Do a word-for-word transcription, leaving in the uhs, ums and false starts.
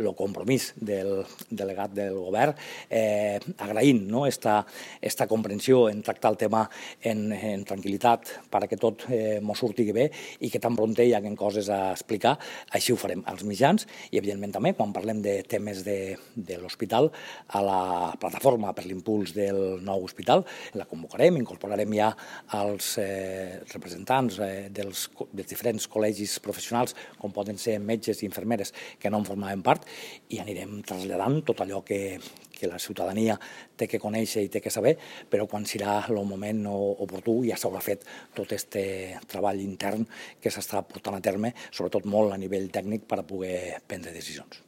el compromís del delegat del govern, eh, agraint no, esta, esta comprensió en tractar el tema en, en tranquil·litat perquè tot eh, mos surti bé i que tan prompte hi haguen coses a explicar. Així ho farem als mitjans i, evidentment, també quan parlem de temes de, de l'hospital, a la plataforma per l'impuls del nou hospital, la convocarem, incorporarem ja els eh, representants eh, dels, dels diferents col·legis professionals, com poden ser metges i infermeres que no en formaven part, i anirem traslladant tot allò que, que la ciutadania té que conèixer i té que saber, però quan serà el moment oportú ja s'haurà fet tot aquest treball intern que s'està portant a terme, sobretot molt a nivell tècnic, per a poder prendre decisions.